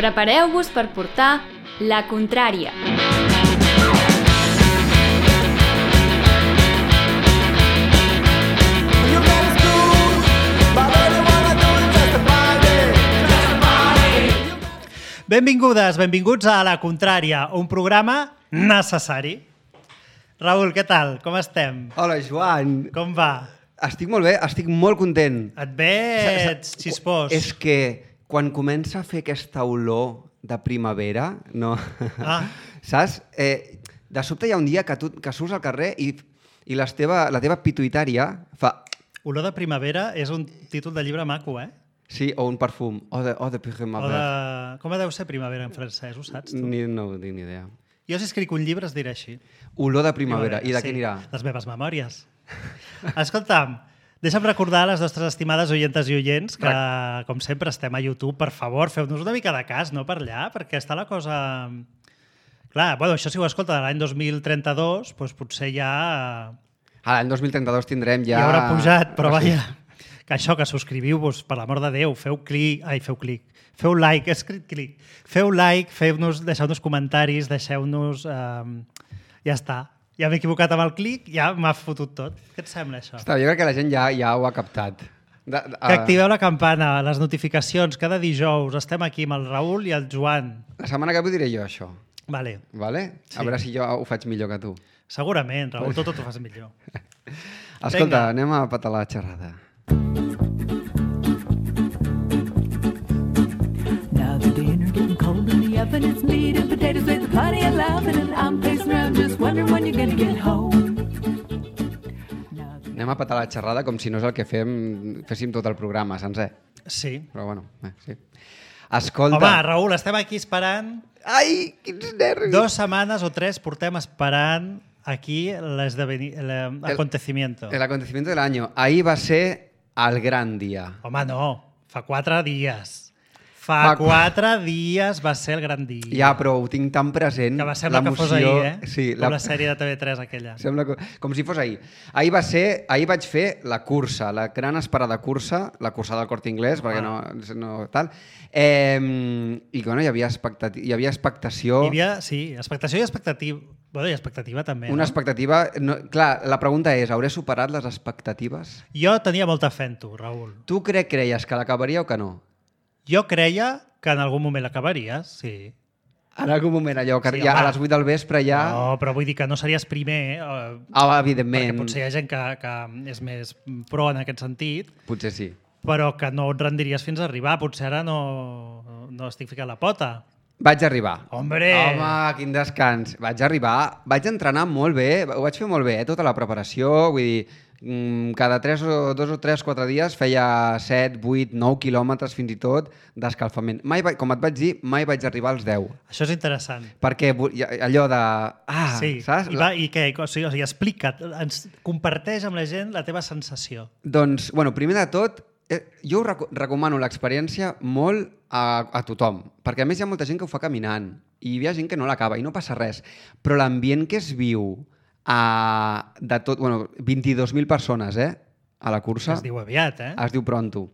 Prepareu-vos per portar La Contrària. Benvingudes, benvinguts a La Contrària, un programa necessari. Raül, què tal? Com estem? Hola, Joan. Com va? Estic molt bé, estic molt content. Et veig xispós. És que quan comença a fer aquesta olor de primavera, no? Saps? De sobte hi ha un dia que surts al carrer i la teva pituïtària fa... Olor de primavera és un títol de llibre maco, eh? Sí, o un perfum. O de primavera. Com deu ser primavera en francès, ho saps tu? No tinc ni idea. Jo si escric un llibre es dirà així. Olor de primavera. I de què anirà? Les meves memòries. Escolta'm, deixa'm recordar a les nostres estimades oientes i oients que, com sempre, estem a YouTube. Per favor, feu-nos una mica de cas, no per allà, perquè està la cosa... Clar, bueno, això si ho escolta l'any 2032, doncs potser ja... A l'any 2032 tindrem ja... Ja haurà pujat, però vaja... Que això, que subscriviu-vos, per l'amor de Déu, feu like, he escrit clic. Feu like, deixeu-nos comentaris, deixeu-nos... Ja està. Ja m'he equivocat amb el clic, ja m'ha fotut tot. Què et sembla, això? Està, jo crec que la gent ja ho ha captat. Que activeu la campana, les notificacions, cada dijous. Estem aquí amb el Raül i el Joan. La setmana que ve diré jo, això. Vale. Sí. A veure si jo ho faig millor que tu. Segurament, Raül, tot ho fas millor. Escolta, anem a petar la xerrada. Now the dinner getting cold in the oven, it's meat and potatoes with plenty of laughing, and I'm pacing around just wondering when you're gonna get home. Anem a petar la xerrada com si no és el que féssim tot el programa sencer. Sí. Però bueno, sí. Escolta... Home, Raül, estem aquí esperant... Ai, quins nervis! 2 setmanes o 3 portem esperant aquí l'acontecimiento. El acontecimiento del año. Ahir va ser el gran dia. Home, no. Fa 4 dies. Fa 4 dies va ser el gran dia. Ja, però ho tinc tan present. Que va semblar que fos ahir, eh? Sí, com la sèrie de TV3 aquella. Sembla com si fos ahir. Ahir vaig fer la cursa, la gran esperada cursa, la cursa del Corte Inglés, perquè no tal. I bueno, hi havia expectació... Expectació i expectativa. Bueno, i expectativa també. Una expectativa... No, clar, la pregunta és, hauré superat les expectatives? Jo tenia molta fe en tu, Raül. Tu creies que l'acabaria o que no? Jo creia que en algun moment l'acabaries, sí. En algun moment allò, que sí, ja a les 8 del vespre ja... No, però vull dir que no series primer. Evidentment. Perquè potser hi ha gent que és més pro en aquest sentit. Potser sí. Però que no et rendiries fins a arribar. Potser ara no estic ficant la pota. Vaig arribar. Hombre! Home, quin descans. Vaig arribar, vaig entrenar molt bé, ho vaig fer molt bé, tota la preparació, vull dir, cada 2 o 4 dies feia 7, 8, 9 quilòmetres fins i tot d'escalfament. Com et vaig dir, mai vaig arribar als 10. Això és interessant. Perquè allò de... sí. Saps? I què? O sigui, explica't, comparteix amb la gent la teva sensació. Doncs, bueno, primer de tot, jo recomano l'experiència molt a tothom, perquè a més hi ha molta gent que ho fa caminant i hi ha gent que no l'acaba i no passa res, però l'ambient que es viu de tot, 22.000 persones a la cursa. Es diu aviat, eh? Es diu pronto.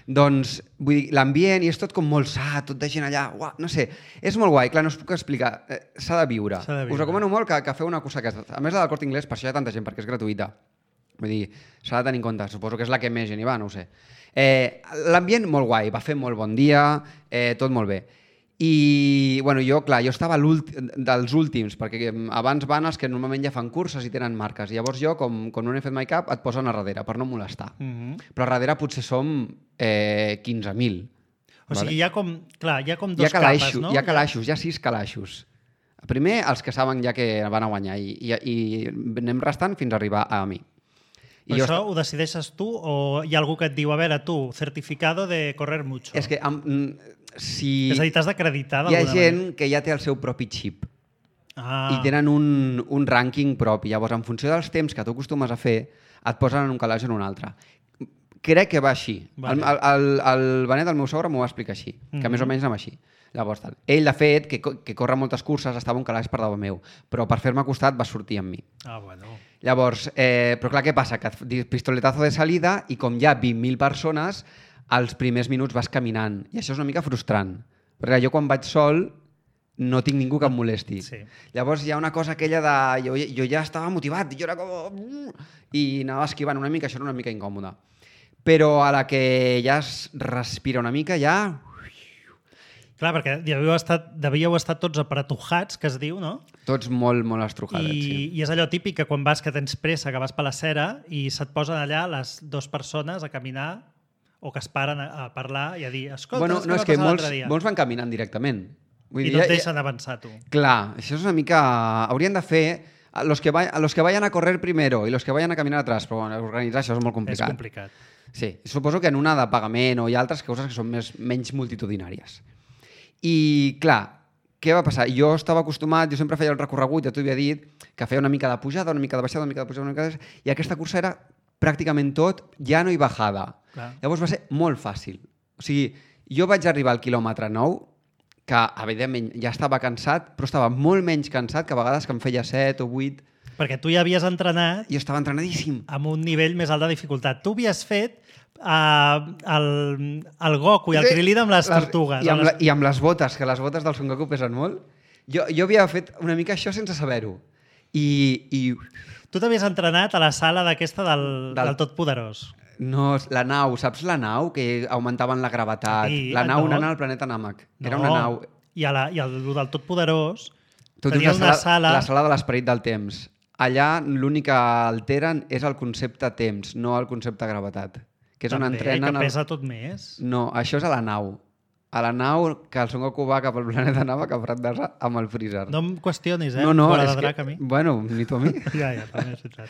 Doncs, vull dir, l'ambient i és tot com molt sa, tot de gent allà, uah, no sé, és molt guai, clar, no us puc explicar, s'ha de viure. Us recomano molt que feu una cursa aquesta. A més la del Corte Inglés, per això hi ha tanta gent, perquè és gratuïta. Vull dir, s'ha de tenir en compte, suposo que és la que més gent hi va, no ho sé. L'ambient molt guai, va fer molt bon dia, tot molt bé. I bueno, jo estava dels últims, perquè abans van els que normalment ja fan curses i tenen marques. I llavors jo, com no he fet mai cap, et posen a darrere, per no molestar. Però a darrere potser som 15.000. O sigui, hi ha com dos capes, no? Hi ha calaixos, hi ha 6 calaixos. Primer, els que saben ja que van a guanyar i anem restant fins a arribar a mi. Però això ho decideixes tu o hi ha algú que et diu, a veure, tu, certificado de correr mucho? És que si... És a dir, t'has d'acreditar d'alguna manera. Hi ha gent que ja té el seu propi xip i tenen un rànquing propi. Llavors, en funció dels temps que tu acostumes a fer, et posen en un calaix o en un altre. Crec que va així. Vale. El Benet, el meu sogre, m'ho va explicar així, que més o menys anava així. Llavors, ell, de fet, que corre moltes curses, estava un calaix per davant meu, però per fer-me costat va sortir amb mi. Bueno. Llavors, però clar, què passa? Que pistoletazo de salida i com hi ha 20.000 persones, els primers minuts vas caminant. I això és una mica frustrant, Perquè jo quan vaig sol no tinc ningú que em molesti. Sí. Llavors hi ha una cosa aquella de... Jo ja estava motivat, jo era com... I anava esquivant una mica, això era una mica incòmode. Però a la que ja es respira una mica, ja... Clar, perquè devíeu estar tots apretujats, que es diu, no? Tots molt, molt estrujadets, sí. I és allò típic que quan vas que tens pressa, que vas per la cera i se't posen allà les dues persones a caminar o que es paren a parlar i a dir escolta, Bueno, no, és que molts van caminant directament. I no et deixen avançar, tu. Clar, això és una mica... Haurien de fer... Los que vayan a correr primero y los que vayan a caminar atrás, però bueno, organitzar això és molt complicat. És complicat. Sí, suposo que en una de pagament o hi ha altres coses que són menys multitudinàries. I, clar, què va passar? Jo estava acostumat, jo sempre feia el recorregut, ja t'ho havia dit, que feia una mica de pujada, una mica de baixada, una mica de pujada, una mica de... I aquesta cursa era pràcticament tot llano i bajada. Clar. Llavors va ser molt fàcil. O sigui, jo vaig arribar al quilòmetre 9, que, evidentment, ja estava cansat, però estava molt menys cansat que a vegades que em feia 7 o 8. Perquè tu ja havies entrenat... Jo estava entrenadíssim. Amb un nivell més alt de dificultat. Tu havies fet el Goku i el Krilin amb les tortugues. I amb les botes, que les botes del Son Goku pesen molt. Jo havia fet una mica això sense saber-ho. I... Tu t'havies entrenat a la sala d'aquesta del Totpoderós. No, la nau, saps la nau? Que augmentaven la gravetat. Sí, la nau anant al planeta Namek. Era una nau... I el del Totpoderós Tu tenia una sala... La sala de l'esperit del temps. Allà l'únic que alteren és el concepte temps, no el concepte gravetat. Que és on entrenen... Que pesa tot més. No, això és a la nau. A la nau que el Son Goku va cap al planeta Namek a Prat d'Asa amb el Freezer. No em qüestionis, No, Bola de drac, a mi. Bueno, ni tu a mi. Ja, també és veritat.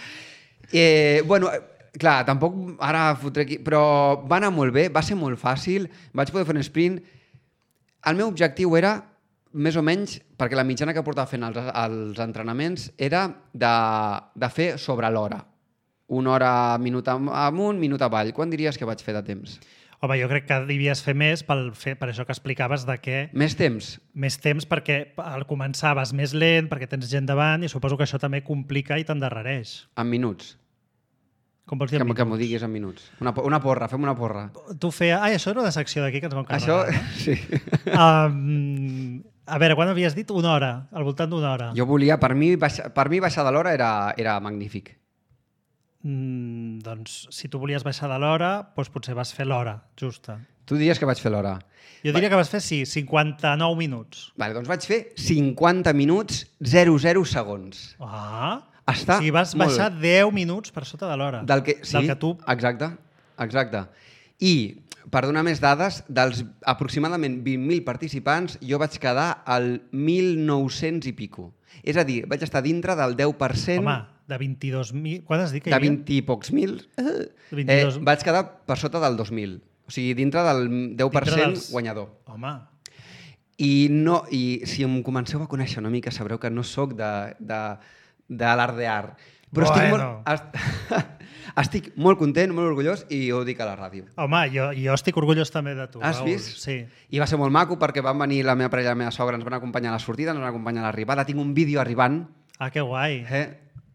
Bueno, clar, tampoc ara fotré aquí, però va anar molt bé, va ser molt fàcil, vaig poder fer un sprint. El meu objectiu era, més o menys, perquè la mitjana que portava fent els entrenaments era de fer sobre l'hora. Una hora, minut amunt, minut avall. Quan diries que vaig fer de temps? Home, jo crec que devies fer més per això que explicaves de què... Més temps? Més temps perquè al començar vas més lent, perquè tens gent davant i suposo que això també complica i t'endarrereix. En minuts. Com vols dir en minuts? Que m'ho diguis en minuts. Una porra, fem una porra. Tu feia... això era una secció d'aquí que ens vam carregar. Això, sí. A veure, quan havies dit? Una hora, al voltant d'una hora. Jo volia... Per mi baixar de l'hora era magnífic. Doncs si tu volies baixar de l'hora, doncs potser vas fer l'hora justa. Tu diries que vaig fer l'hora? Jo diria que vas fer, sí, 59 minuts. Vale, doncs vaig fer 50 minuts 00 segons. Està o sigui, vas baixar 10 minuts per sota de l'hora. Del que tu... Exacte. I, per donar més dades, dels aproximadament 20.000 participants, jo vaig quedar al 1.900 i pico. És a dir, vaig estar dintre del 10%... Home, de 22.000... Quan has dit que hi havia? havia? De 20 i pocs mil. Vaig quedar per sota del 2.000. O sigui, dintre del 10% guanyador. Home. I si em comenceu a conèixer una mica, sabreu que no sóc de l'alardear. Però estic molt content, molt orgullós i ho dic a la ràdio. Home, jo estic orgullós també de tu. Has vist? Sí. I va ser molt maco perquè van venir la meva parella i la meva sogra, ens van acompanyar a la sortida, ens van acompanyar a l'arribada. Tinc un vídeo arribant. Ah, que guai.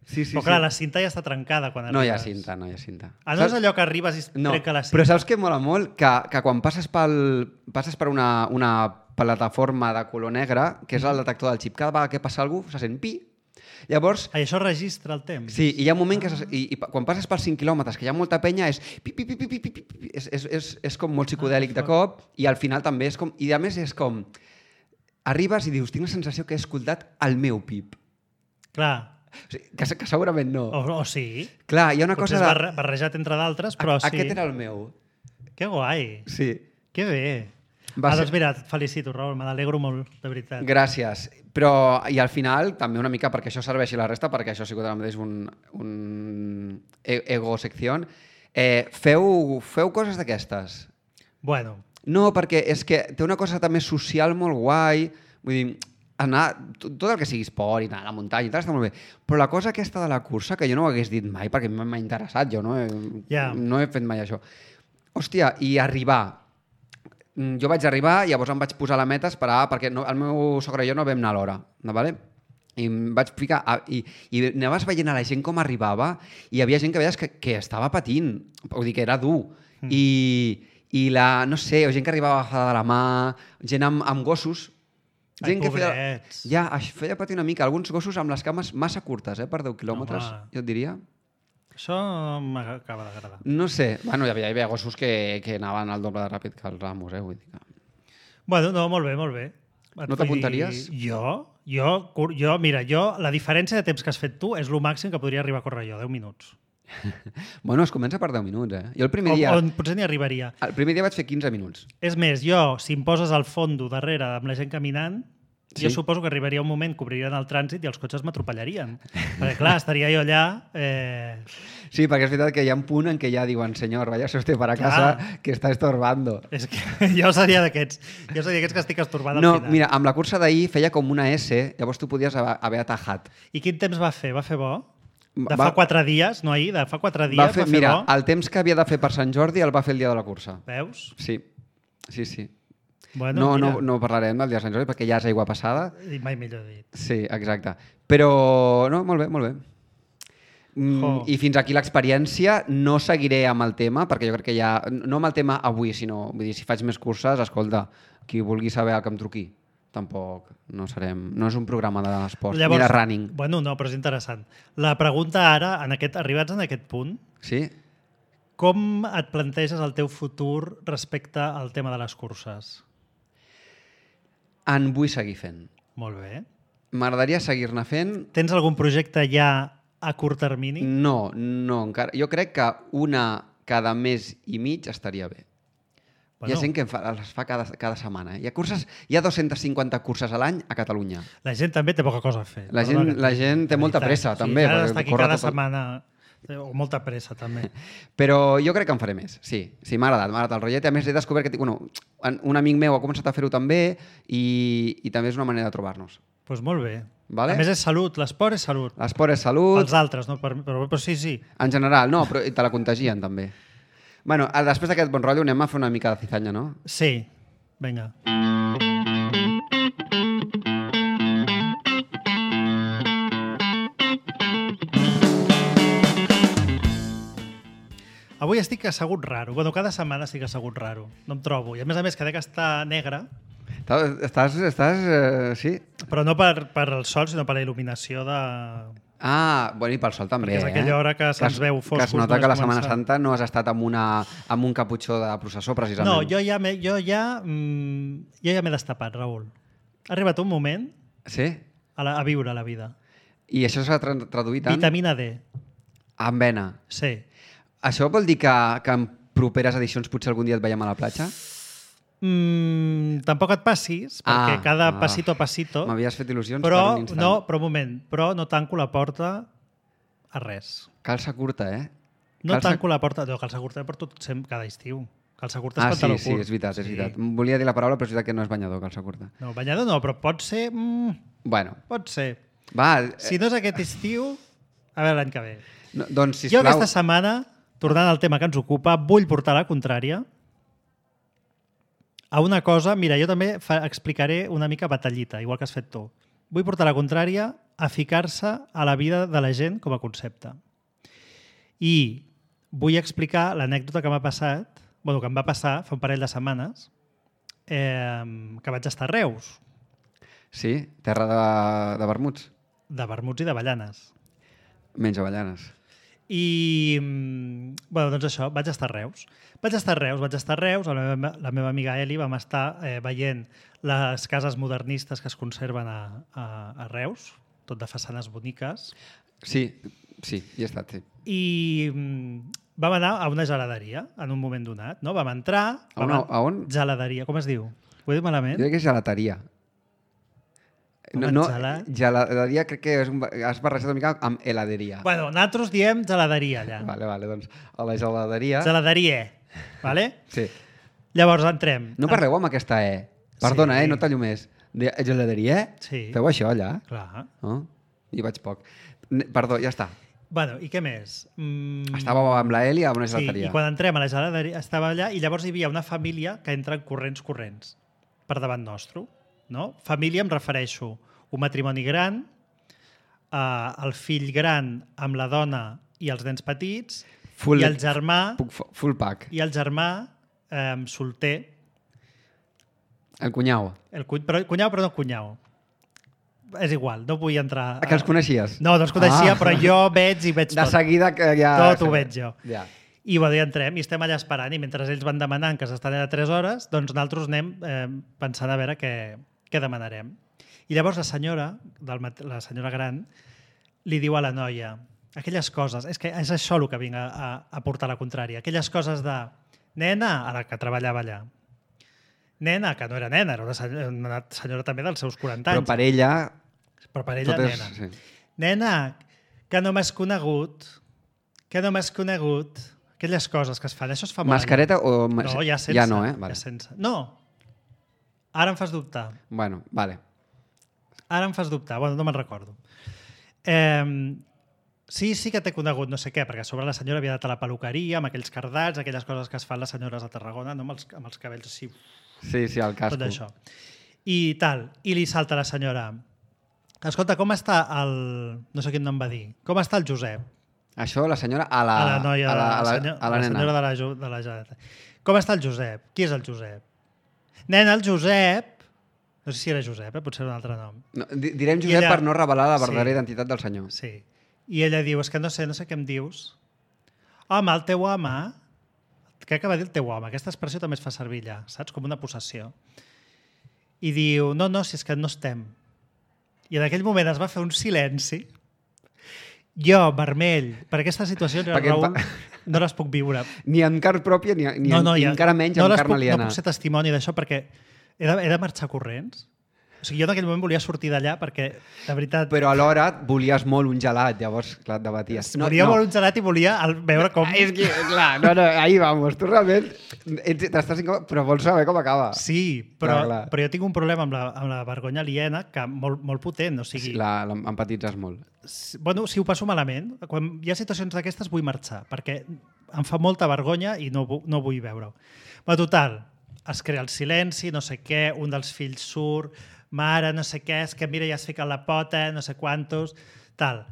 Sí. Però clar, la cinta ja està trencada quan arribes. No hi ha cinta. No és allò que arribes i trenca la cinta? Però saps què mola molt? Que quan passes per una plataforma de color negre, que és el detector del xip, cada vegada que passa algú se sent pi. Llavors... això registra el temps. Sí, i hi ha un moment que... I quan passes pels 5 quilòmetres, que hi ha molta penya, és... És com molt psicodèlic de cop, i al final també és com... I a més és com... Arribes i dius, tinc la sensació que he escoltat el meu pip. Clar. O sigui, que segurament no. O sí. Clar, hi ha una cosa... Potser és barrejat entre d'altres, però sí. Aquest era el meu. Que guai. Sí. Que bé. Doncs mira, et felicito, Raül, me n'alegro molt, de veritat. Gràcies. Però, i al final, també una mica perquè això serveixi la resta, perquè això ha sigut ara mateix un ego-secció, feu coses d'aquestes? Bueno. No, perquè és que té una cosa també social molt guai, vull dir, anar, tot el que sigui esport i anar a la muntanya i tal, està molt bé, però la cosa aquesta de la cursa, que jo no ho hagués dit mai, perquè m'ha interessat, jo no he fet mai això. Hòstia, i arribar... Jo vaig arribar, llavors em vaig posar a la meta a esperar, perquè el meu sogre i jo no vam anar a l'hora, vale? I em vaig ficar... I anaves veient a la gent com arribava i hi havia gent que veies que estava patint, vull dir que era dur. I i no sé, gent que arribava agafada de la mà, gent amb gossos. Ai, Gent que pobrets. Ja, feia patir una mica. Alguns gossos amb les cames massa curtes, per 10 quilòmetres, jo et diria. Això m'acaba d'agradar. No sé. Bueno, hi havia gossos que anaven al doble de ràpid que els amos, vull dir que... Bueno, no, molt bé, molt bé. No t'apuntaries? Mira, la diferència de temps que has fet tu és el màxim que podria arribar a córrer jo, 10 minuts. Bueno, es comença per 10 minuts, Jo el primer dia... On potser n'hi arribaria. El primer dia vaig fer 15 minuts. És més, jo, si em poses al fondo darrere amb la gent caminant, jo suposo que arribaria un moment que obririen el trànsit i els cotxes m'atropellarien. Perquè, clar, estaria jo allà... Sí, perquè és veritat que hi ha un punt en què ja diuen «Senyor, váyase usted para casa, que está estorbando». És que jo seria d'aquests. Jo seria d'aquests que estic estorbant al final. Mira, amb la cursa d'ahir feia com una S, llavors tu podies haver atajat. I quin temps va fer? Va fer bo? Fa 4 dies, no ahir, de fa 4 dies va fer mira, bo? El temps que havia de fer per Sant Jordi el va fer el dia de la cursa. Veus? Sí. Bueno, no parlarem del dia de Sant Jordi perquè ja és aigua passada. I mai millor dit. Sí, exacte. Però, no, molt bé, molt bé. I fins aquí l'experiència. No seguiré amb el tema, perquè jo crec que ja... No amb el tema avui, sinó... Vull dir, si faig més curses, escolta, qui vulgui saber el que em truqui. Tampoc no serem... No és un programa d'esports, ni de running. Bueno, no, però és interessant. La pregunta ara, arribats en aquest punt, sí? Com et planteges el teu futur respecte al tema de les curses? En vull seguir fent. Molt bé. M'agradaria seguir-ne fent. Tens algun projecte ja a curt termini? No, encara. Jo crec que una cada mes i mig estaria bé. Bueno. Hi ha gent que les fa cada setmana. Hi ha 250 curses a l'any a Catalunya. La gent també té poca cosa a fer. La gent té molta pressa, també. Ara està aquí cada setmana... O molta pressa, també. Però jo crec que en faré més, sí. Sí, m'ha agradat el rotllet. A més, he descobert que un amic meu ha començat a fer-ho també i també és una manera de trobar-nos. Doncs molt bé. Vale? A més, és salut. L'esport és salut. L'esport és salut. Els altres, no? Però sí. En general, no, però te la contagien, també. Bueno, després d'aquest bon rotllo anem a fer una mica de cizanya, no? Sí. Vinga. Avui estic assegut raro. Bueno, cada setmana estic assegut raro. No em trobo. I a més, que dec estar negre. Estàs sí. Però no per el sol, sinó per la il·luminació de... Bueno, i pel sol també. Perquè és aquella hora que se'ns veu foscos. Que es nota que la Setmana Santa no has estat amb un caputxó de processó, precisament. No, jo ja m'he destapat, Raül. Ha arribat un moment a viure la vida. I això s'ha traduït en... Vitamina D. En vena. Sí. Això vol dir que en properes edicions potser algun dia et veiem a la platja? Tampoc et passis, perquè cada passito a passito... M'havies fet il·lusions per un instant. Però un moment, no tanco la porta a res. Calça curta, Tanco la porta... No, calça curta porto cada estiu. Calça curta és pantaló curt. Sí, és veritat. Volia dir la paraula, però és veritat que no és banyador, calça curta. No, banyador no, però pot ser... Bueno. Pot ser. Va. Si no és aquest estiu, a veure l'any que ve. No, doncs, sisplau... Jo aquesta setmana, tornant al tema que ens ocupa, vull portar la contrària a una cosa... Mira, jo també explicaré una mica batallita, igual que has fet tu. Vull portar la contrària a ficar-se a la vida de la gent com a concepte. I vull explicar l'anècdota que m'ha passat, que em va passar fa un parell de setmanes, que vaig estar a Reus. Sí? Terra de vermuts? De vermuts i d'avellanes. Menys avellanes. I, doncs això, vaig estar a Reus. La meva amiga Eli vam estar veient les cases modernistes que es conserven a Reus, tot de façanes boniques. Sí, hi he estat, sí. I vam anar a una geladeria en un moment donat, no? Vam entrar... A on? Geladeria, com es diu? Ho he dit malament? Jo crec que és gelateria. Geladeria crec que has barrejat una mica amb heladeria. Bueno, nosaltres diem geladeria allà. Vale, doncs a la geladeria... Geladeria, vale? Sí. Llavors entrem. No parleu amb aquesta E. Perdona, no tallo més. Geladeria? Sí. Feu això allà? Clar. No? Hi vaig poc. Perdó, ja està. Bueno, i què més? Estàvem amb la Eli a una gelateria. Sí, i quan entrem a la geladeria estava allà i llavors hi havia una família que entra corrents per davant nostre. No? Família em refereixo un matrimoni gran, el fill gran amb la dona i els nens petits, i el germà... Full pack. I el germà solter. El cunyau. Cunyau, però no cunyau. És igual, no vull entrar... Que els coneixies? No els coneixia, però jo veig tot. De seguida que ja... Tot ho veig jo. Ja. I bueno, ja entrem i estem allà esperant i mentre ells van demanant que s'estan allà 3 hores, doncs nosaltres anem pensant a veure què demanarem. I llavors la senyora gran li diu a la noia aquelles coses, és que és això el que vinc a portar la contrària, aquelles coses de nena, ara que treballava allà, nena, que no era nena, era una senyora també dels seus 40 anys. Però per ella nena. Sí. Nena, que no m'has conegut, aquelles coses que es fan, això es fa molt. Mascareta o... No, ja sense. Ja no, Vale. Ja sense. No, ara em fas dubtar. Bueno, vale. Ara em fas dubtar, bueno, no me'n recordo. Sí que t'he conegut no sé què, perquè a sobre la senyora havia anat a la peluqueria amb aquells cardats, aquelles coses que es fan les senyores a Tarragona, no? amb els cabells així. Sí, el casco. Tot això. I tal, i li salta la senyora. Escolta, com està el... No sé quin nom va dir. Com està el Josep? Això la senyora a la noia, a la nena. La senyora de la Generalitat. Com està el Josep? Qui és el Josep? Nena, el Josep... No sé si era Josep, potser era un altre nom. No, direm Josep ella... per no revelar la verdadera identitat del senyor. Sí. I ella diu, és que no sé què em dius. Home, el teu home... Què acaba de dir el teu home? Aquesta expressió també es fa servir allà, saps? Com una possessió. I diu, no, si és que no estem. I en aquell moment es va fer un silenci. Jo, vermell, per aquesta situació, Raül, no les puc viure. Ni en carn pròpia, ni encara menys en carn aliena. No puc ser testimoni d'això perquè he de marxar corrents. O sigui, jo en aquell moment volia sortir d'allà perquè, de veritat... Però alhora volies molt un gelat, llavors, clar, et debaties. Volia molt un gelat i volia veure com... És que, clar, ahí vamos. Tu realment t'estàs incòmode, però vols saber com acaba. Sí, però jo tinc un problema amb la vergonya aliena que molt potent, o sigui... Empatitzes molt. Bueno, si ho passo malament, quan hi ha situacions d'aquestes vull marxar, perquè em fa molta vergonya i no vull veure-ho. Però total, es crea el silenci, no sé què, un dels fills surt... Mare, no sé què, és que mira, ja has ficat la pota, no sé quantos, tal.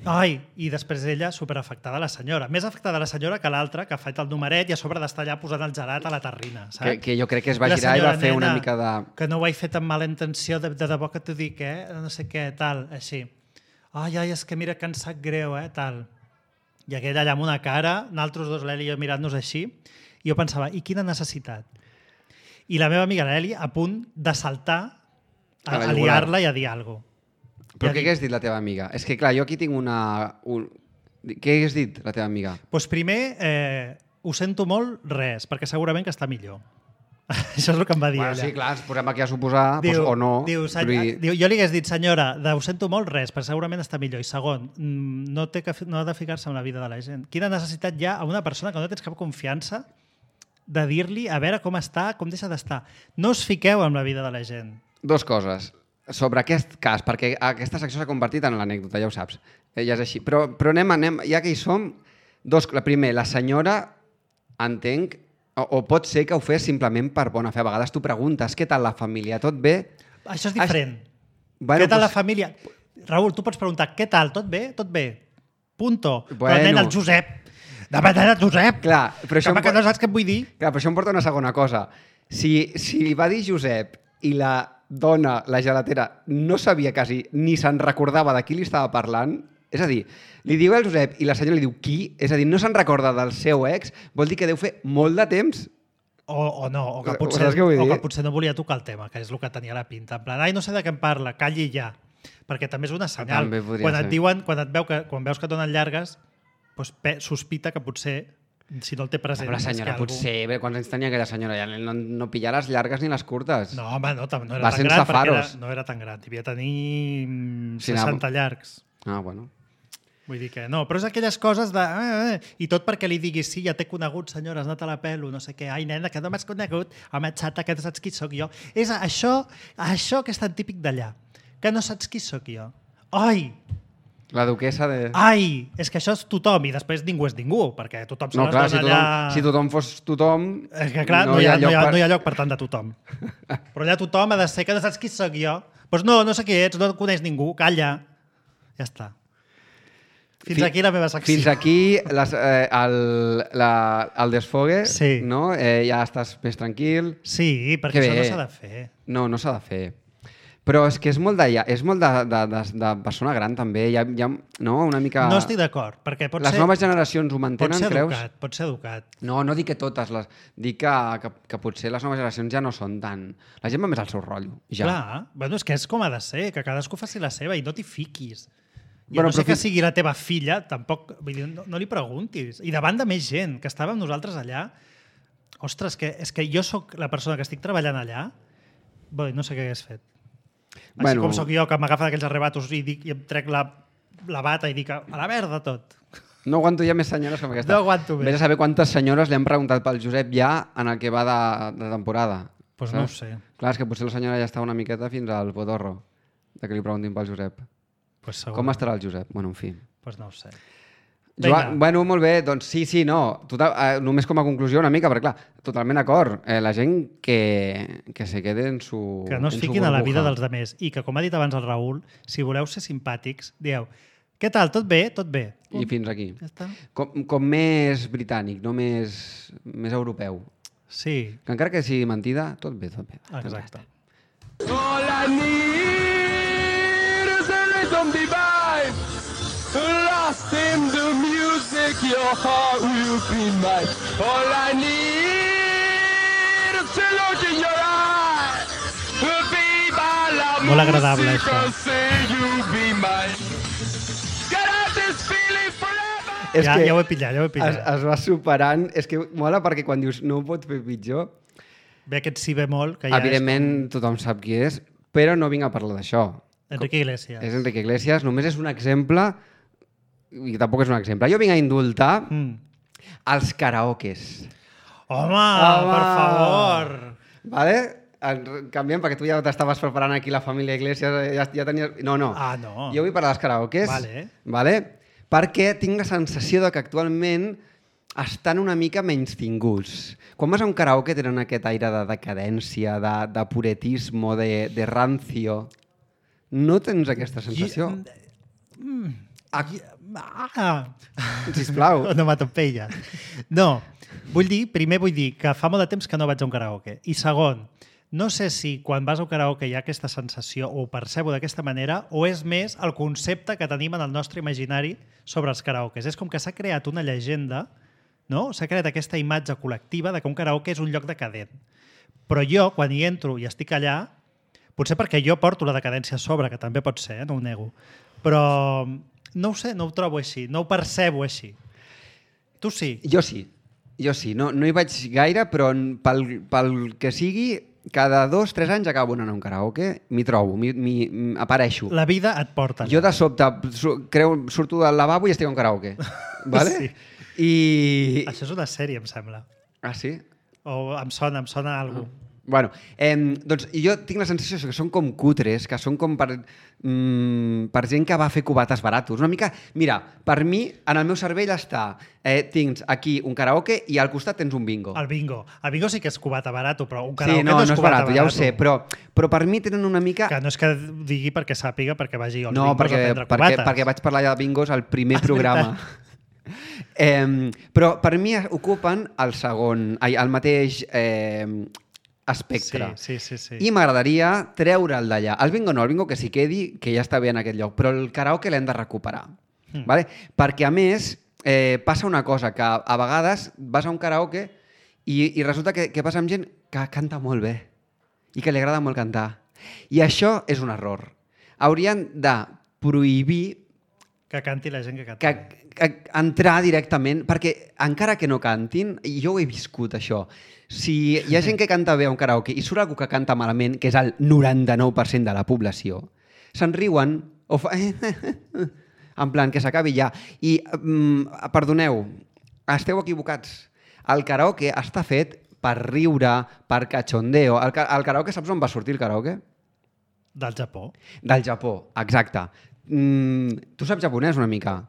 Ai, i després ella superafectada la senyora. Més afectada la senyora que l'altra, que ha fet el numeret i a sobre d'estar allà posant el gelat a la terrina, saps? Que jo crec que es va girar i va fer una mica de... Que no ho he fet amb mala intenció, de debò que t'ho dic, no sé què, tal, així. Ai, és que mira que em sap greu, tal. I aquella allà amb una cara, nosaltres dos, l'Eli i jo, mirant-nos així, i jo pensava, i quina necessitat? I la meva amiga l'Eli a punt de saltar a liar-la i a dir alguna cosa. Però què hagués dit la teva amiga? És que, clar, jo aquí tinc una... Què hagués dit la teva amiga? Doncs primer, ho sento molt, res, perquè segurament que està millor. Això és el que em va dir ella. Sí, clar, ens posem aquí a suposar, o no. Jo li hagués dit, senyora, ho sento molt, res, perquè segurament està millor. I segon, no ha de ficar-se en la vida de la gent. Quina necessitat hi ha a una persona que no tens cap confiança de dir-li a veure com està, com deixa d'estar. No us fiqueu en la vida de la gent. Dos coses sobre aquest cas, perquè aquesta secció s'ha convertit en l'anècdota, ja ho saps. Ja és així. Però anem, ja que hi som, primer, la senyora, entenc, o pot ser que ho fes simplement per bona fe. A vegades tu preguntes, què tal la família? Tot bé? Això és diferent. Bueno, què tal la família? Raül, tu pots preguntar, què tal? Tot bé? Tot bé. Punto. Però nen, el Josep. Demanant el Josep. Clar, però això que no saps què et vull dir. Clar, però això em porta una segona cosa. Si li va dir Josep i la dona, la gelatera, no sabia quasi ni se'n recordava de qui li estava parlant, és a dir, li diu el Josep i la senyora li diu qui, és a dir, no se'n recorda del seu ex, vol dir que deu fer molt de temps. O que potser no volia tocar el tema, que és el que tenia la pinta. En plan, ai, no sé de què em parla, calli ja. Perquè també és una senyal. Quan veus que et donen llargues, doncs sospita que potser si no el té present... Però la senyora potser, quants anys tenia aquella senyora? Ja no pillar les llargues ni les curtes. No, home, no era tan gran perquè no era tan gran. Devia tenir 60 llargs. Ah, bueno. Vull dir que no, però és aquelles coses de... I tot perquè li diguis, sí, ja t'he conegut, senyora, has anat a la pelo, no sé què. Ai, nena, que no m'has conegut. Home, xata, que no saps qui sóc jo. És això que és tan típic d'allà. Que no saps qui sóc jo. Ai! La duquesa de... Ai, és que això és tothom i després ningú és ningú, perquè tothom se les dona allà... Si tothom fos tothom... És que clar, no hi ha lloc per tant de tothom. Però allà tothom ha de ser que no saps qui sóc jo. Doncs no sé qui ets, no et coneix ningú, calla. Ja està. Fins aquí la meva secció. Fins aquí el desfogue, Sí. no? Ja estàs més tranquil. Sí, perquè això no s'ha de fer. No s'ha de fer. Però és que és molt de persona gran, també. Hi ha no, una mica... No estic d'acord, perquè les noves generacions ho mantenen, creus? Pot ser educat. No dic que totes. Dic que potser les noves generacions ja no són tan... La gent va més al seu rotllo. Ja. Clar, bueno, és que és com ha de ser, que cadascú faci la seva i no t'hi fiquis. I Bueno, no sé però que sigui la teva filla, tampoc... Vull dir, no li preguntis. I davant de més gent, que estàvem nosaltres allà... Ostres, és que jo sóc la persona que estic treballant allà, bé, no sé què hagués fet. Així com sóc jo, que m'agafen aquells arrebatos i em trec la bata i dic a la merda tot. No aguanto ja més senyores com aquesta. No aguanto més. Vés a saber quantes senyores li han preguntat pel Josep ja en el que va de temporada. Doncs no ho sé. Clar, és que potser la senyora ja està una miqueta fins al potorro de que li preguntin pel Josep. Pues com estarà el Josep? Bueno, en fi. Doncs no ho sé. Joan, bueno, molt bé, doncs sí, no. Total, només com a conclusió una mica, perquè clar, totalment d'acord. La gent que se quede en su que no es fiquin a la vida dels altres. I que, com ha dit abans el Raül, si voleu ser simpàtics, dieu, què tal, tot bé? Tot bé. I fins aquí. Ja està. Com més britànic, no més europeu. Sí. Que encara que sigui mentida, tot bé. Exacte. All I need is a rhythm divine. Lost in the music, your heart will be mine. All I need is to look in your eyes. Viva la Molt agradable, música, això. say you be mine. Get out this feeling forever. És que Ja ho he pillat. es va superant. És que mola perquè quan dius no ho pot fer pitjor, Ve aquest si bemol, que ja evidentment tothom sap qui és, però no vinc a parlar d'això. Enrique Iglesias. És Enrique Iglesias, només és un exemple, i tampoc és un exemple. Jo vinc a indultar els karaokes. Home, per favor! Vale? Canviem, perquè tu ja t'estaves preparant aquí la família Iglesias, ja tenies... No. Ah, no. Jo vull parlar dels karaokes, vale? Perquè tinc la sensació de que actualment estan una mica menystinguts. Quan vas a un karaoke tenen aquest aire de decadència, de puretismo, de rancio. No tens aquesta sensació? Sisplau. No m'atopella. No, primer vull dir que fa molt de temps que no vaig a un karaoke. I segon, no sé si quan vas a un karaoke hi ha aquesta sensació o ho percebo d'aquesta manera o és més el concepte que tenim en el nostre imaginari sobre els karaokes. És com que s'ha creat una llegenda, no? S'ha creat aquesta imatge col·lectiva de que un karaoke és un lloc decadent. Però jo, quan hi entro i estic allà, potser perquè jo porto la decadència a sobre, que també pot ser, no ho nego, però no ho sé, no ho trobo així, no ho percebo així. Tu sí? Jo sí. No hi vaig gaire, però pel que sigui, cada 2-3 anys acabo anant a un karaoke, m'hi trobo, apareixo. La vida et porta allà. Jo de sobte surto del lavabo i estic a un karaoke. Vale? Sí. I... Això és una sèrie, em sembla. Ah, sí? O em sona alguna cosa. Bueno, doncs jo tinc la sensació que són com cutres, que són com per gent que va fer cubates baratos. Una mica, mira, per mi, en el meu cervell està, tens aquí un karaoke i al costat tens un bingo. El bingo sí que és cubata barato, però un karaoke sí, no és cubata barato, ja ho sé, però per mi tenen una mica... Que no és que digui perquè sàpiga, perquè vagi als bingos a prendre cubates. perquè vaig parlar ja de bingos al primer programa. Però per mi ocupen el mateix espectre. Sí. I m'agradaria treure'l d'allà. El bingo no, el bingo que s'hi quedi, que ja està bé en aquest lloc, però el karaoke l'hem de recuperar. Vale? Perquè, a més, passa una cosa, que a vegades vas a un karaoke i resulta que passa amb gent que canta molt bé i que li agrada molt cantar. I això és un error. Haurien de prohibir que canti la gent que canta. Entrar directament, perquè encara que no cantin, i jo ho he viscut, això, si hi ha gent que canta bé a un karaoke i surt algú que canta malament, que és el 99% de la població, se'n riuen o en plan, que s'acabi ja. I, perdoneu, esteu equivocats. El karaoke està fet per riure, per cachondeo. El karaoke, saps on va sortir el karaoke? Del Japó. Del Japó, exacte. Tu saps japonès una mica?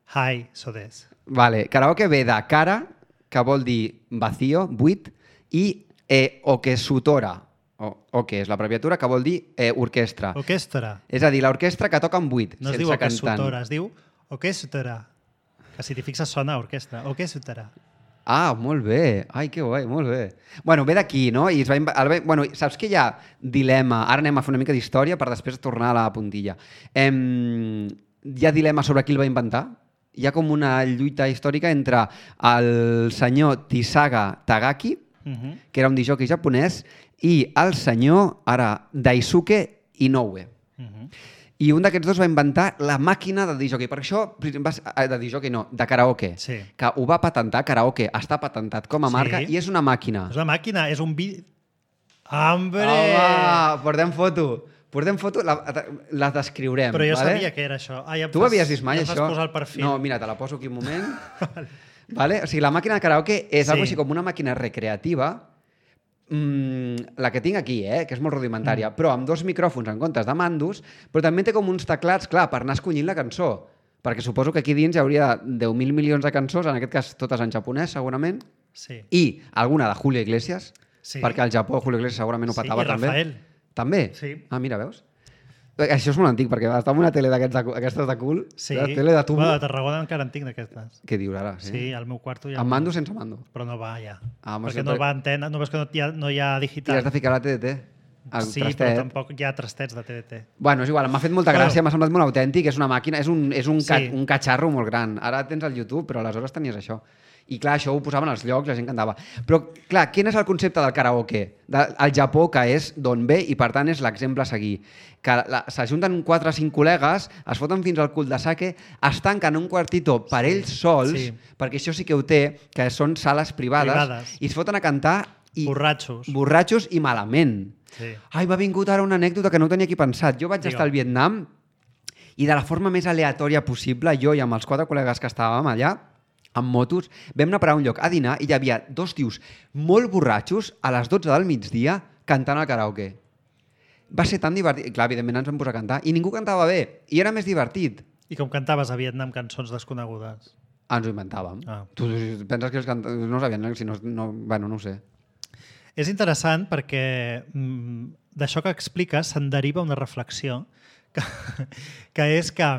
Hai, so des. Vale, karaoke ve de kara, que vol dir vacío, buit, i okesutora, que és l'abreviatura, que vol dir orquestra. Orquestra. És a dir, l'orquestra que toca en buit, no sense cantant. No es diu cantant. okesutora, es diu O què sutarà? Que si t'hi fixes sona a orquestra. O què sutarà? Ah, molt bé. Ai, que guai, molt bé. Bueno, ve d'aquí, no? I bueno, saps que hi ha dilema? Ara anem a fer una mica d'història per després tornar a la puntilla. Hi ha dilema sobre qui el va inventar? Hi ha com una lluita històrica entre el senyor Tisaga Tagaki, que era un disjockey japonès, i el senyor, ara, Daisuke Inoue. I un d'aquests dos va inventar la màquina de disjockey. Per això, de disjockey no, de karaoke. Sí. Que ho va patentar, karaoke està patentat com a marca i és una màquina. És una màquina, és un ¡Hambre! Home, portem foto, la descriurem. Però jo vale? sabia que era això. Tu havies vist mai això? això? Posar el perfil. No, mira, te la poso aquí un moment. Vale? O sigui, la màquina de karaoke és algo així com una màquina recreativa, la que tinc aquí, que és molt rudimentària, però amb 2 micròfons en comptes de mandos, però també té com uns teclats, clar, per anar escollint la cançó, perquè suposo que aquí dins hi hauria 10.000 milions de cançons, en aquest cas totes en japonès, segurament, i alguna de Julio Iglesias, perquè al Japó Julio Iglesias segurament ho patava també. I Rafael. També? Sí. Ah, mira, veus? Això és molt antic, perquè està en una tele d'aquestes de cul, la tele de tubo. Bueno, de Tarragona encara en tinc d'aquestes. Què dius ara? Sí, al meu quarto hi ha... Amb mando o sense mando? Però no va, ja. Perquè no va antena, no veus que no hi ha digital. I has de ficar la TDT. Sí, però tampoc hi ha trastets de TDT. Bueno, és igual, m'ha fet molta gràcia, m'ha semblat molt autèntic, és una màquina, és un catxarro molt gran. Ara tens el YouTube, però aleshores tenies això. I clar, això ho posaven als llocs, la gent cantava. Però clar, quin és el concepte del karaoke? El Japó, que és d'on ve i per tant és l'exemple a seguir. Que s'ajunten 4 o 5 col·legues, es foten fins al cul de sake, es tanquen un quartito per ells sols, perquè això sí que ho té, que són sales privades. I es foten a cantar borratxos i malament. Ai, m'ha vingut ara una anècdota que no ho tenia aquí pensat. Jo vaig estar al Vietnam i de la forma més aleatòria possible, jo i amb els 4 col·legues que estàvem allà, amb motos, vam anar a parar un lloc a dinar i hi havia 2 tios molt borratxos a les 12 del migdia cantant al karaoke. Va ser tan divertit. Clar, evidentment ens vam posar a cantar i ningú cantava bé i era més divertit. I com cantaves a Vietnam cançons desconegudes? Ens ho inventàvem. Tu penses que els no sabien, si no, bueno, no ho sé. És interessant perquè d'això que expliques se'n deriva una reflexió que és que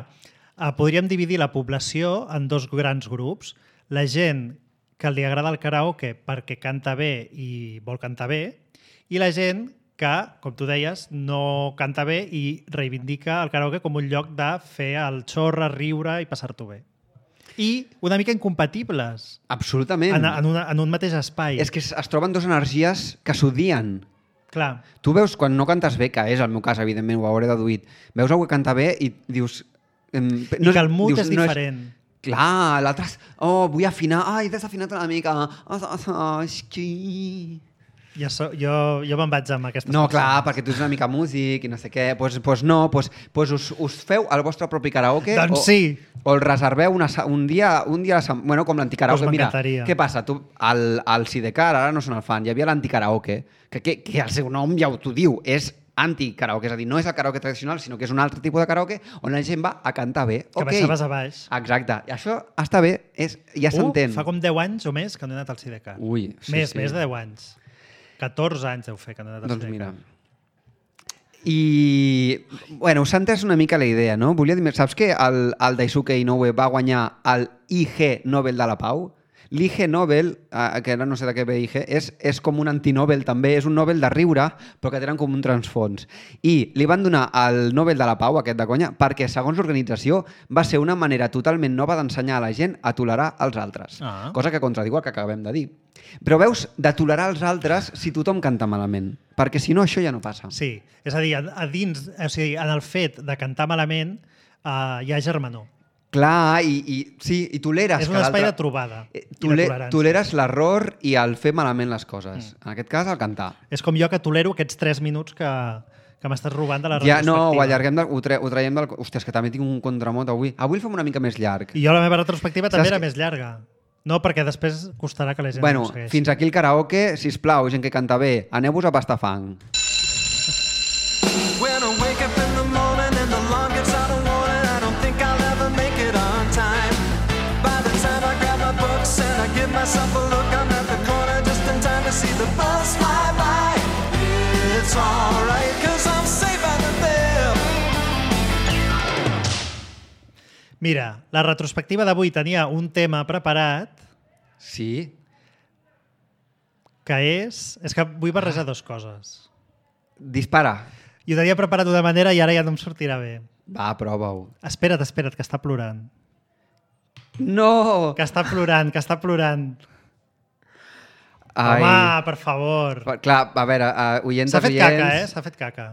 podríem dividir la població en 2 grans grups. La gent que li agrada el karaoke perquè canta bé i vol cantar bé, i la gent que, com tu deies, no canta bé i reivindica el karaoke com un lloc de fer el xorra, riure i passar-t'ho bé. I una mica incompatibles. Absolutament. En un mateix espai. És que es troben 2 energies que s'odien. Clar. Tu veus, quan no cantes bé, que és el meu cas, evidentment, ho hauré deduït, veus algú que canta bé i dius... I que el mood és diferent. Clar, l'altre... Oh, vull afinar. Ai, has afinat una mica. Jo me'n vaig amb aquestes No, clar, perquè tu ets una mica músic i no sé què. Doncs no, us feu el vostre propi karaoke o el reserveu un dia bueno, com l'anticaraoke. Mira, què passa? Tu, al Sidecar, ara no són el fan, hi havia l'anticaraoke, que el seu nom ja t'ho diu, és anti-karaoke, és a dir, no és el karaoke tradicional, sinó que és un altre tipus de karaoke on la gent va a cantar bé. Que baixaves a baix. Exacte. I això està bé, ja s'entén. Fa com 10 anys o més que no he anat al Sidecar. Ui, sí. Més de 10 anys. 14 anys deu fer que no he anat al Sidecar. Doncs mira. I, bueno, s'ha entès una mica la idea, no? Volia dir, saps que el Daisuke Inoue va guanyar el IG Nobel de la Pau? L'IG Nobel, que ara no sé de què ve IG, és com un antinobel també, és un Nobel de riure, però que tenen com un transfons. I li van donar el Nobel de la Pau, aquest de conya, perquè, segons l'organització, va ser una manera totalment nova d'ensenyar a la gent a tolerar els altres. Cosa que contradiu el que acabem de dir. Però veus, de tolerar els altres si tothom canta malament, perquè si no això ja no passa. Sí, és a dir, a dins, o sigui, en el fet de cantar malament hi ha germanor. Clar, i toleres... És un espai de trobada i de tolerància. Toleres l'error i el fer malament les coses. En aquest cas, el cantar. És com jo que tolero aquests 3 minuts que m'estàs robant de la retrospectiva. No, ho allarguem, ho traiem del... Hòstia, és que també tinc un contramot avui. Avui el fem una mica més llarg. I jo la meva retrospectiva també era més llarga. No, perquè després costarà que la gent no ho segueixi. Fins aquí el karaoke. Sisplau, gent que canta bé, aneu-vos a pastar fang. When I wake up in the morning and the alarm gets out of warning, I don't think I'll ever make it on time. By the time I grab my books and I give myself a look, I'm at the corner just in time to see the bus fly by. It's alright, 'cause I'm safe out of there. Mira, la retrospectiva d'avui tenia un tema preparat Sí? que és que vull barrejar dues coses. Dispara. I ho tenia preparat d'una manera i ara ja no em sortirà bé. Va, prova-ho. Espera't, que està plorant. No! Que està plorant. Ai. Home, per favor. Clar, a veure, oients... S'ha fet caca, S'ha fet caca.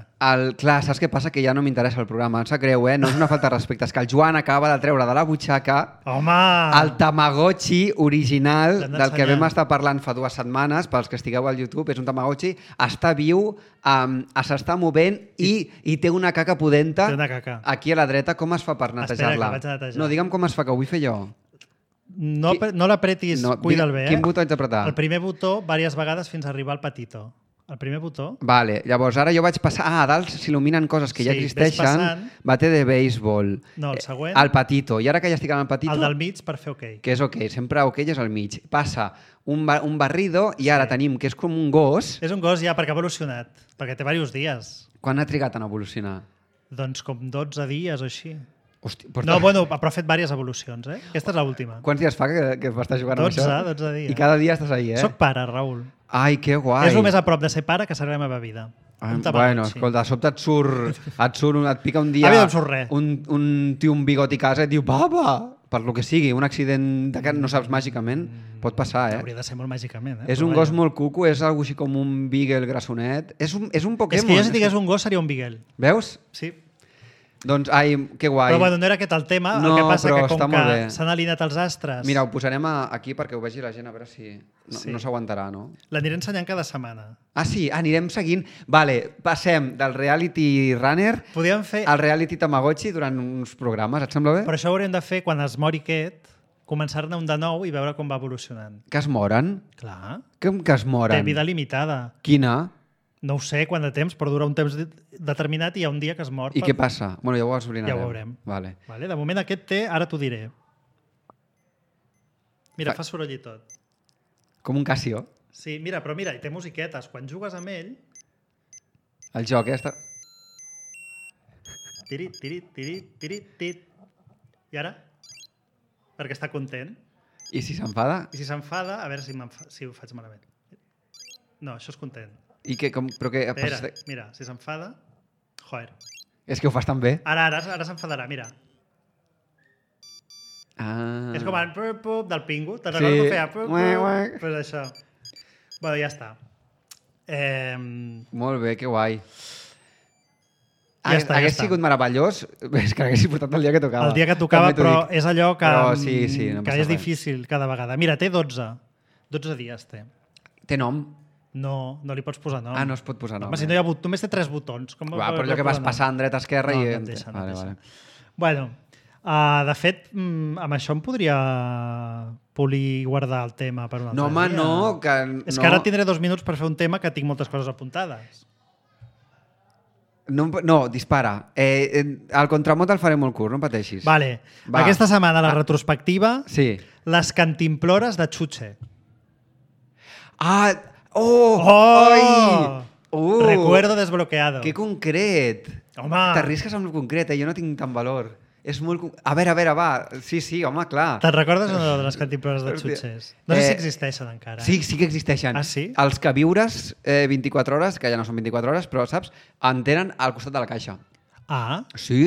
Clar, saps què passa? Que ja no m'interessa el programa. Em sap greu, No és una falta de respecte. És que el Joan acaba de treure de la butxaca Home! el Tamagotchi original L'hem del que d'ensenyar. vam estar parlant fa 2 setmanes, pels que estigueu al YouTube. És un Tamagotchi, està viu, s'està movent i té una caca pudenta Té una caca. aquí a la dreta. Com es fa per netejar-la? que vaig a netejar. No, digue'm com es fa, que ho vull fer jo. No l'apretis, cuida'l bé. Quin botó haig d'apretar? El primer botó, diverses vegades fins a arribar al patito. El primer botó... Vale, llavors ara jo vaig passar... a dalt s'il·luminen coses que ja Sí, ves existeixen. passant. Bate de béisbol. No, el següent. El patito. I ara que ja estic en el patito... El del mig per fer OK. Que és OK. Sempre OK és al mig. Passa un barrido i ara tenim que és com un gos. És un gos ja perquè ha evolucionat, perquè té diversos dies. Quan ha trigat en evolucionar? Doncs com 12 dies o així. Hosti, No, bueno, però ha fet diverses evolucions, Aquesta és l'última. Quants dies fa que m'estàs jugant 12, amb això? 12 dies. I cada dia estàs ahí, Soc pare, Raül. Ai, que guai. És el més a prop de ser pare que serà la meva vida. Un Tamagotchi. Bueno, escolta, de sobte et pica un dia A mi no em surt res. un tio amb bigoti a casa i et diu, papa, per lo que sigui, un accident de que no saps màgicament, pot passar, Hauria de ser molt màgicament, És un gos molt cuco, és algo així com un beagle grassonet. És un Pokémon. És que jo si digués un gos seria un Beagle. Veus? Sí. Doncs, ai, que guai. Però bueno, no era aquest el tema, No, el que passa però que com està molt que bé. s'han alineat els astres, Mira, ho posarem aquí perquè ho vegi la gent, a veure si no s'aguantarà, no? l'aniré ensenyant cada setmana. Ah, sí? Anirem seguint. Vale, passem del reality runner Podríem fer... al reality Tamagotchi durant uns programes. Et sembla bé? Però això ho hauríem de fer quan es mori aquest, començar-ne un de nou i veure com va evolucionant. Que es moren? Clar. Com que es moren? Té vida limitada. Quina? No ho sé quant de temps, però dura un temps determinat i hi ha un dia que es mor. I què passa? Bueno, ja ho esbrinarem. Ja ho veurem. Vale. Vale? De moment aquest té, ara t'ho diré. Mira, fa soroll i tot. Com un Casio. Sí, mira, però mira, i té musiquetes. Quan jugues amb ell... El joc, està... Tirit, tirit, tirit, tirit, tirit. I ara? Perquè està content. I si s'enfada? I si s'enfada, a veure si ho faig malament. No, això és content. I que, però que... Espera, mira, si s'enfada... Joder. És que ho fas tan bé. Ara s'enfadarà, mira. Ah. És com el pup del pingu. Te'n Sí. recordo que feia pup, Uec. pues això. Bueno, ja està. Molt bé, que guai. Ja està, Hagués sigut meravellós, és que hagués portat el dia que tocava. El dia que tocava, També t'ho però dic. és allò que, Però sí, no que passa és res. difícil cada vegada. Mira, té 12. 12 dies té. Té nom? No li pots posar nom. Ah, no es pot posar nom. Home, si no hi ha només té 3 botons. Com Va, però allò que vas passant dreta-esquerra no, i... no et deixa, no et Vale, deixa. vale. Bueno, de fet, amb això em podria polir i guardar el tema per un altre No, home, dia. no, que És no. que ara tindré 2 minuts per fer un tema que tinc moltes coses apuntades. No, dispara. El contramot el faré molt curt, no pateixis. Vale. Va. Aquesta setmana, la retrospectiva, Sí. les cantimplores de Chuche. Ah! Oh! Oh! Ai! Recuerdo desbloqueado. Que concret! Home! T'arrisques amb el concret, jo no tinc tant valor. És molt... A veure, va. Sí, home, clar. Te'n recordes o no de les cantimplores de Hòstia. Chuches? No sé si existeixen encara. Sí que existeixen. Ah, sí? Els que viures 24 hores, que ja no són 24 hores, però, saps, en tenen al costat de la caixa. Ah, Sí,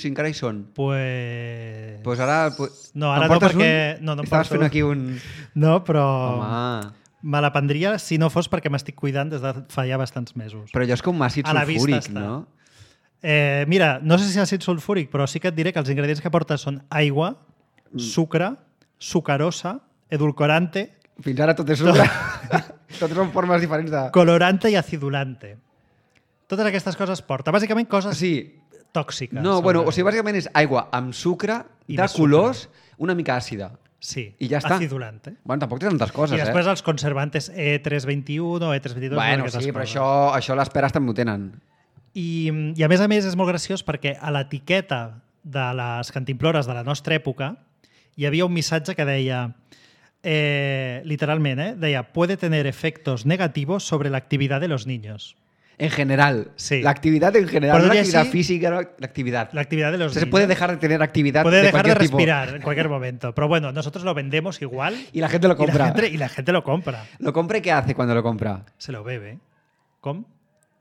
encara hi són. pues... Ara... No, ara Em no, portes perquè... un? No, no em Estaves porto. fent aquí un... No, però... Home... Me la prendria si no fos perquè m'estic cuidant des de fa ja bastants mesos. Però allò és com àcid A la vista sulfúric, està. no? Mira, no sé si és àcid sulfúric, però sí que et diré que els ingredients que porta són aigua, sucre, sucarosa, edulcorante, Fins ara tot és sucre. Tots són formes diferents de... colorante i acidulante. Totes aquestes coses porta. Bàsicament coses Sí. tòxiques. No, bueno, o sigui, bàsicament és aigua amb sucre, I de més colors, una mica àcida. Sí, I ja està. acidulante. Bueno, tampoc té tantes coses, I després els conservantes E321 o E322... Bueno, aquestes sí, però coses. això les peres també ho tenen. I a més és molt graciós perquè a l'etiqueta de les cantimplores de la nostra època hi havia un missatge que deia, literalment, deia, puede tener efectos negativos sobre la actividad de los niños. En general. Sí. L'actividad en general. Por No decir l'actividad así, física, no, l'actividad. La actividad de los Se niños. puede dejar de tener actividad Puede de dejar de cualquier tipo. respirar en cualquier momento. Pero bueno, nosotros lo vendemos igual. Y la gente lo compra. Y la gente lo compra. ¿Lo compra y qué hace cuando lo compra? Se lo bebe. Com?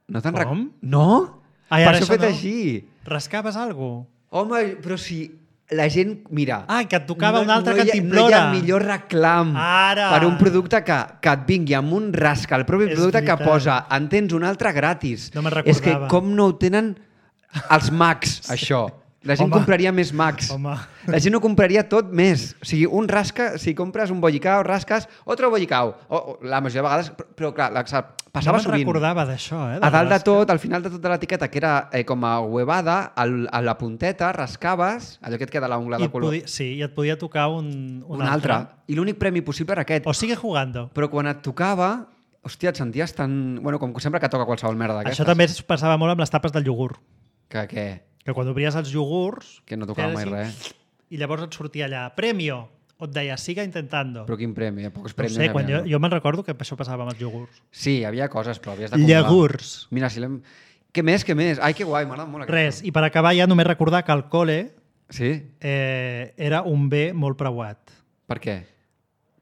No te'n Com? No? Ai, Per ara això això fet no. així. Rascaves alguna cosa? Home, però si la gent... Mira... Ah, que et tocava un altre no hi ha cantimplora. millor reclam Ara. per un producte que et vingui amb un rasca, el propi És producte que veritat. posa, en tens un altre gratis. No me'n És que recordava. com no ho tenen els Macs, això. La gent Home. compraria més Macs. Home. La gent ho compraria tot més. O sigui, un rasca, si compres un bollicao, rasques, otro bollicao. La majoria de vegades, però clar, passava no me'n sovint. recordava d'això, A dalt de rasca. tot, al final de tota l'etiqueta, que era com a huevada, a la punteta rascaves, allò que et queda l'ungla I de color, sí, i et podia tocar un altre. I l'únic premi possible era aquest. O sigue jugando. Però quan et tocava, hòstia, et senties tan... Bueno, com sempre que toca qualsevol merda d'aquestes. Això també es passava molt amb les tapes del iogurt. Que què? Que quan obries els iogurts... Que no tocava mai feies res. I llavors et sortia allà, premio, o et deia, siga intentando. Però quin premi? Pocs No premis. sé, quan n'hi havia, jo me'n recordo que això passava amb els iogurts. Sí, hi havia coses, però havies d'acumular. Iogurts. Mira, si l'hem... Què més, què més? Ai, que guai, m'agrada molt aquest. Res, i per acabar ja només recordar que el col·le Sí? era un bé molt preuat. Per què?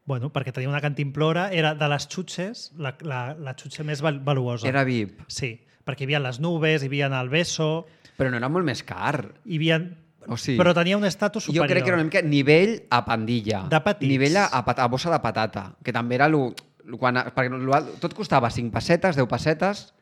Bueno, perquè tenia una cantimplora, era de les xutxes, la xutxa més valuosa. Era VIP. Sí, perquè hi havia les nubes, hi havia el beso, Però no era molt més car. hi havia... O sigui, però tenia un estatus Jo superior. crec que era una mica nivell a pandilla. De petits. Nivell a bossa de patata, que també era perquè tot costava 5 pessetes, 10 pessetes,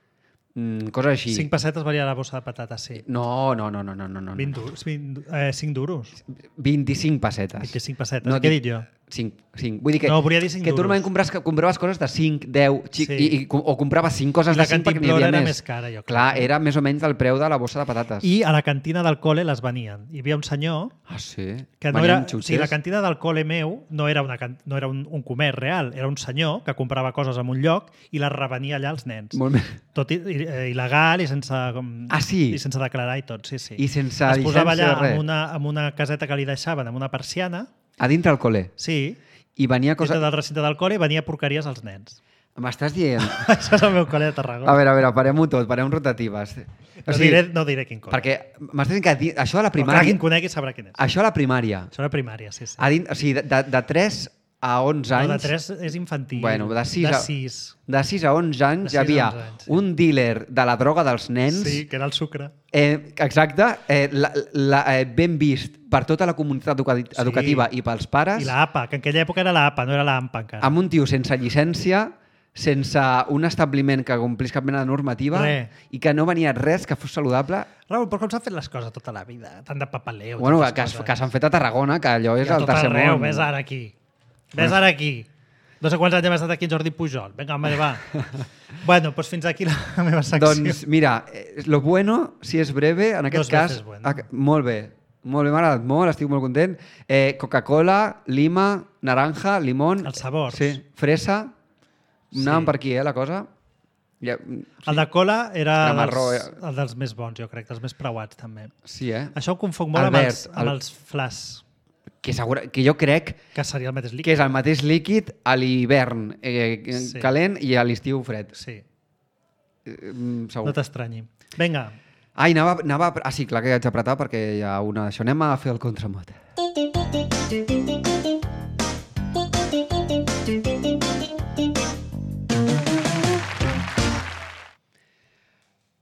coses així. 5 pessetes valia la bossa de patata, sí. No. 20 duros, 5 duros. 25 pessetes. 25 pessetes. No, Què he dit jo? 5. Vull dir que, No, volia dir 5 que tu duros. normalment compraves coses de 5, 10, Sí. o compraves 5 coses I la de 5 perquè n'hi cantimplora havia era més. més cara, jo crec. Clar, era més o menys del preu de la bossa de patates. I a la cantina del col·le les venien. Hi havia un senyor Ah, sí? que no Venien era... O xutxes? sigui, la cantina del col·le meu no era, no era un comerç real, era un senyor que comprava coses en un lloc i les revenia allà als nens. Molt bé. Tot il·legal i sense... Ah, sí? I sense declarar i tot, sí, sí. I sense es posava llicència allà de res? amb una caseta que li deixaven, amb una persiana, A dintre el col·le. sí, I venia dintre coses... del recinte del col·le venia porqueries als nens. M'estàs dient... Això és el meu col·le de Tarragona. A veure, parem-ho tot, parem rotatives. No diré quin col·le. Perquè m'estàs dient que això a la Però clar, primària... qui em conegui sabrà quin és. Això a la primària. Això era primària, sí, sí. O sigui, de 3 a 11 anys... No, de 3 és infantil. Bueno, de 6 de a- 6. De 6 a 11 anys De hi havia 6 a 11 anys, sí. un dealer de la droga dels nens, Sí, que era el sucre. exacte, ben vist per tota la comunitat educativa i pels pares, I la APA, que en aquella època era la APA, no era la AMPA encara. amb un tio sense llicència, sense un establiment que complís cap mena de normativa Res. i que no venia res que fos saludable. Raül, però com s'han fet les coses tota la vida? Tant de papaleo. Bueno, tantes que coses. s'han fet a Tarragona, que allò és I a el tot tercer arreu, món. ves ara aquí. Ves ara aquí. No sé quants anys hem estat aquí en Jordi Pujol. Vinga, home, va. Bueno, doncs fins aquí la meva secció. Doncs mira, lo bueno, si és breve, en aquest Dos cas... veces bueno. Molt bé, m'ha agradat molt, estic molt content. Coca-Cola, lima, naranja, limón... Els sabors. Sí, fresa. Sí. Anàvem per aquí, la cosa. Ja, El de cola era Era marró, el dels més bons, jo crec, dels més preuats, també. sí, Això ho confonc molt Albert, amb els flas, que jo crec que seria el mateix líquid. que és el mateix líquid a l'hivern Sí. calent i a l'estiu fred. Sí, Segur. no t'estranyi. Vinga, Ai, anava... Ah, sí, clar que haig d'apretar perquè hi ha una d'això. Anem a fer el contramot.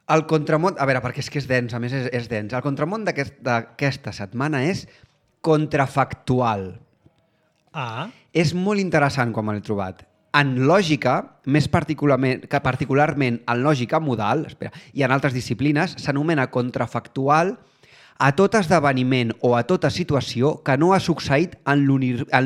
El contramot... A veure, perquè és que és dens, a més és dens. El contramot d'aquesta setmana és contrafactual. És molt interessant quan me l'he trobat. En lògica, més particularment en lògica modal, i en altres disciplines, s'anomena contrafactual a tot esdeveniment o a tota situació que no ha succeït en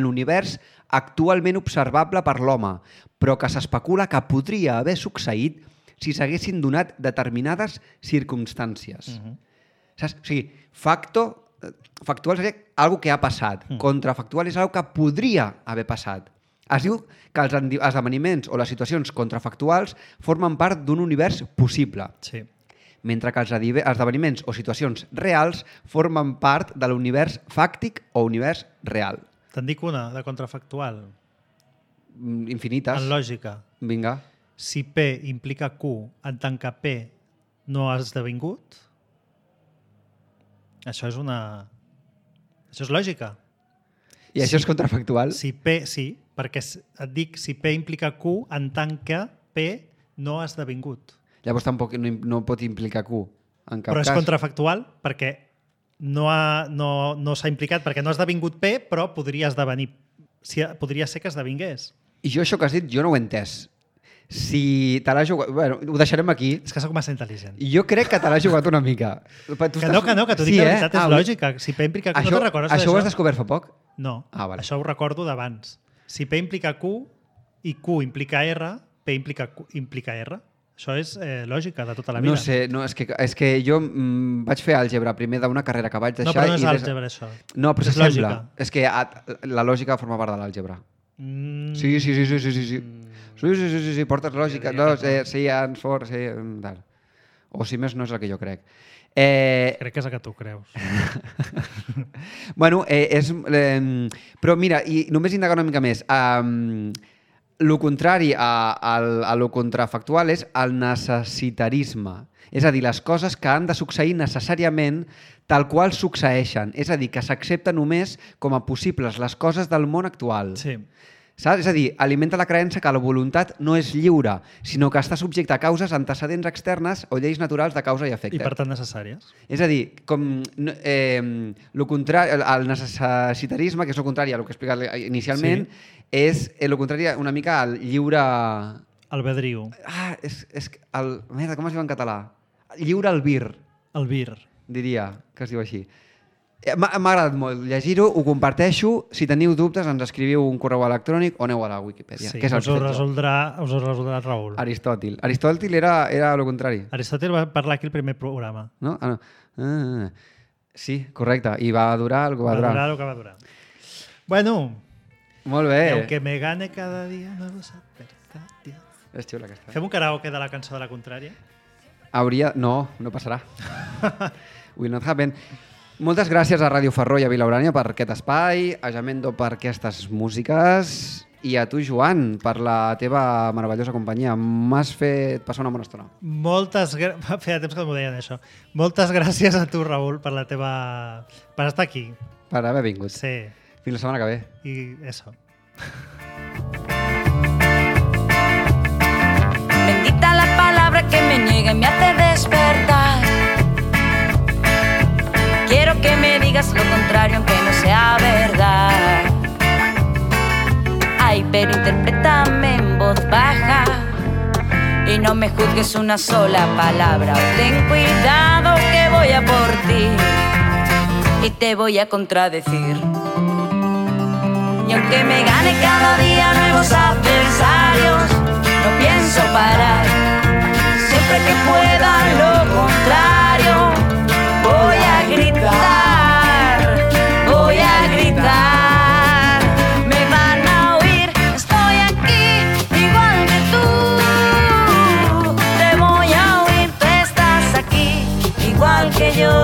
l'univers actualment observable per l'home, però que s'especula que podria haver succeït si s'haguessin donat determinades circumstàncies. Saps? O sigui, factual seria algo que ha passat. Contrafactual és algo que podria haver passat. Es diu que els esdeveniments o les situacions contrafactuals formen part d'un univers possible, sí. mentre que els esdeveniments o situacions reals formen part de l'univers fàctic o univers real. Te'n dic una, de contrafactual, Infinites. en lògica. Vinga. si P implica Q en tant que P no ha esdevingut, això és lògica. I això és contrafactual? Si P, sí, perquè et dic si P implica Q en tant que P no ha esdevingut. Llavors tampoc no pot implicar Q, en cap Però és cas. contrafactual perquè no s'ha implicat, perquè no ha esdevingut P, però podria esdevenir. Podria ser que esdevingués. I jo això que has dit, jo no ho he entès. Si te l'has jugat... Bueno, ho deixarem aquí. És que sóc massa intel·ligent. Jo crec que te l'has jugat una mica. Que t'ho dic de veritat, és lògica. Si P implica Q, no te'n recordes d'això? Això ho has descobert fa poc? No, vale. Això ho recordo d'abans. Si P implica Q i Q implica R, P implica R. Això és lògica de tota la vida. No sé, és que jo vaig fer àlgebra primer d'una carrera que vaig deixar... No, però no és àlgebra, això. No, però és sembla. Lògica. És que la lògica forma part de l'àlgebra. Sí. Sí, portes lògica. No, sí, ansfor, sí, tal. O si més no és el que jo crec. Crec que és el que tu creus. Bueno, però mira, i només indagar una mica més. Lo contrari a lo contrafactual és el necessitarisme. És a dir, les coses que han de succeir necessàriament tal qual succeeixen. És a dir, que s'accepten només com a possibles les coses del món actual. Sí. Saps? És a dir, alimenta la creença que la voluntat no és lliure, sinó que està subjecta a causes antecedents externes o lleis naturals de causa i efecte. I per tant necessàries. És a dir, com el necessitarisme, que és el contrari a el que he explicat inicialment, és el contrari una mica al lliure... Albedriu. Merda, com es diu en català? Lliure albir. Albir. Diria que es diu així. M'ha agradat molt llegir-ho, ho comparteixo. Si teniu dubtes, ens escriviu un correu electrònic o aneu a la Wikipedia. Sí, que és us ho resoldrà Raül. Aristòtil. Aristòtil era el contrari. Aristòtil va parlar aquí el primer programa. No? No. Sí, correcte. I va durar el que va durar. Va durar el que va durar. Bueno. Molt bé. Y aunque me gane cada dia nuevos adversarios. És xula aquesta. Fem un karaoke de la cançó de la contrària? No passarà. Will not happen. Moltes gràcies a Ràdio Ferró i a Vilaurània per aquest espai, a Jamendo per aquestes músiques i a tu, Joan, per la teva meravellosa companyia. M'has fet passar una bona estona. Feia temps que m'ho deien, això. Moltes gràcies a tu, Raül, per estar aquí. Per haver vingut. Sí. Fins la setmana que ve. I eso. Bendita la palabra que me niega y me hace despertar. Quiero que me digas lo contrario aunque no sea verdad. Ay, pero interprétame en voz baja y no me juzgues una sola palabra. Ten cuidado que voy a por ti y te voy a contradecir. Y aunque me gane cada día nuevos adversarios, no pienso parar. Siempre que pueda lo contrario, voy a gritar, voy a gritar. Me van a oír, estoy aquí, igual que tú. Te voy a oír, tú estás aquí, igual que yo.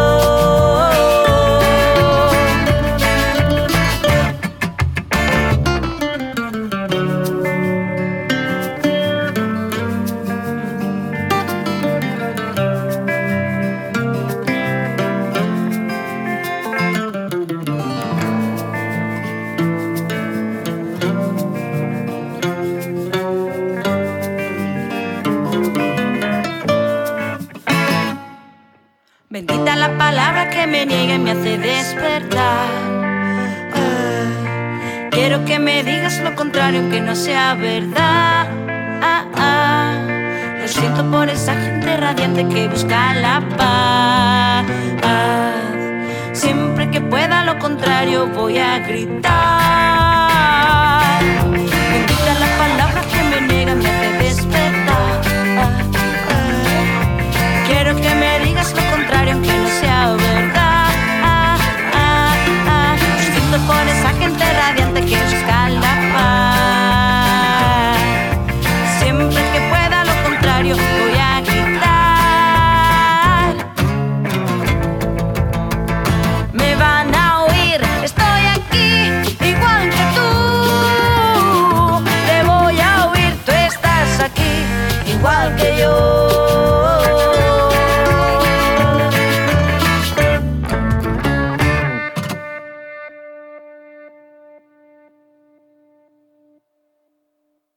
Bendita la palabra que me niega y me hace despertar. Quiero que me digas lo contrario aunque no sea verdad. Lo siento por esa gente radiante que busca la paz. Siempre que pueda lo contrario voy a gritar. Bendita la palabra que me niega y me hace despertar. Quiero que me digas lo contrario aunque no sea verdad. Lo siento por esa gente radiante que busca la paz. Siempre que pueda lo contrario